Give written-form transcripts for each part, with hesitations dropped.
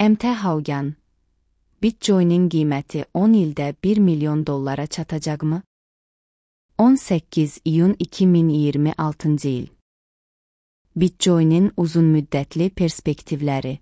MT Haugen, Bitcoin'in qiyməti 10 ildə 1 milyon dollara çatacaqmı? 18 iyun 2026 il. Bitcoin'in uzunmüddətli perspektivləri.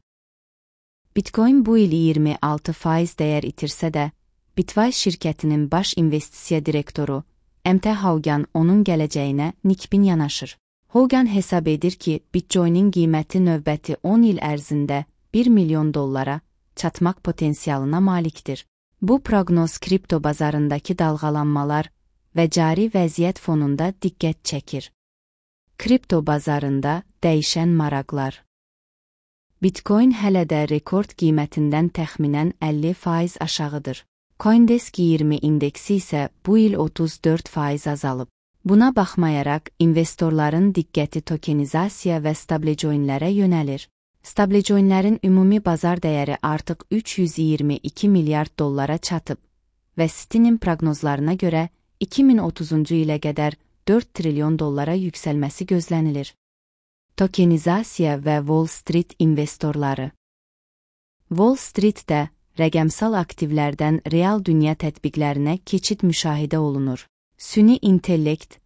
Bitcoin bu il 26% dəyər itirsə də, Bitwise şirkətinin baş investisiya direktoru MT Haugen onun gələcəyinə nikbin yanaşır. Haugen hesab edir ki, Bitcoin'in qiyməti növbəti 10 il ərzində 1 milyon dollara çatmaq potensialına malikdir. Bu proqnoz kripto bazarındakı dalğalanmalar və cari vəziyyət fonunda diqqət çəkir. Kripto bazarında dəyişən maraqlar. Bitcoin hələ də rekord qiymətindən təxminən 50% aşağıdır. CoinDesk 20 indeksi isə bu il 34% azalıb. Buna baxmayaraq, investorların diqqəti tokenizasiya və stablecoinlərə yönəlir. Stablecoinlərin ümumi bazar dəyəri artıq 322 milyard dollara çatıb və Citi'nin proqnozlarına görə 2030-cu ilə qədər 4 trilyon dollara yüksəlməsi gözlənilir. Tokenizasiya və Wall Street investorları. Wall Street-də rəqəmsal aktivlərdən real dünya tətbiqlərinə keçid müşahidə olunur. Süni intellekt,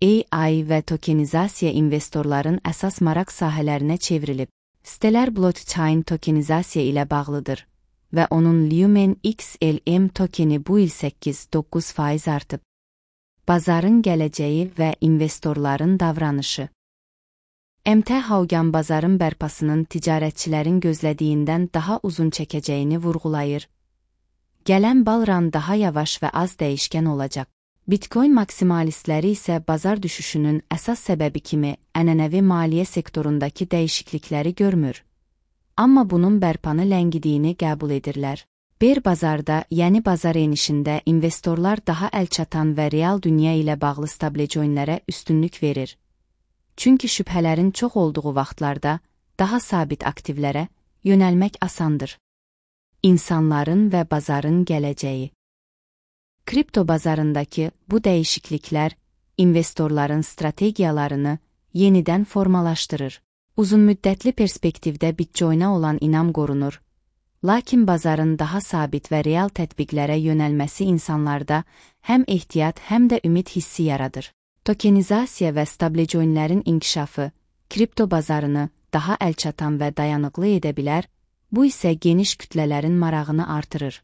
AI və tokenizasiya investorların əsas maraq sahələrinə çevrilib. Sitelər blockchain tokenizasiya ilə bağlıdır və onun Lumen XLM tokeni bu il 8-9% artıb. Bazarın gələcəyi və investorların davranışı. MT Haugen bazarın bərpasının ticarətçilərin gözlədiyindən daha uzun çəkəcəyini vurğulayır. Gələn balran daha yavaş və az dəyişkən olacaq. Bitcoin maksimalistləri isə bazar düşüşünün əsas səbəbi kimi ənənəvi maliyyə sektorundakı dəyişiklikləri görmür. Amma bunun bərpanı ləngidiyini qəbul edirlər. Bear bazarda, yəni bazar enişində investorlar daha əlçatan və real dünya ilə bağlı stablecoinlərə üstünlük verir. Çünki şübhələrin çox olduğu vaxtlarda daha sabit aktivlərə yönəlmək asandır. İnsanların və bazarın gələcəyi. Kripto bazarındakı bu dəyişikliklər investorların strategiyalarını yenidən formalaşdırır. Uzunmüddətli perspektivdə Bitcoin'a olan inam qorunur. Lakin bazarın daha sabit və real tətbiqlərə yönəlməsi insanlarda həm ehtiyat, həm də ümid hissi yaradır. Tokenizasiya və stablecoinlərin inkişafı kripto bazarını daha əlçatan və dayanıqlı edə bilər, bu isə geniş kütlələrin marağını artırır.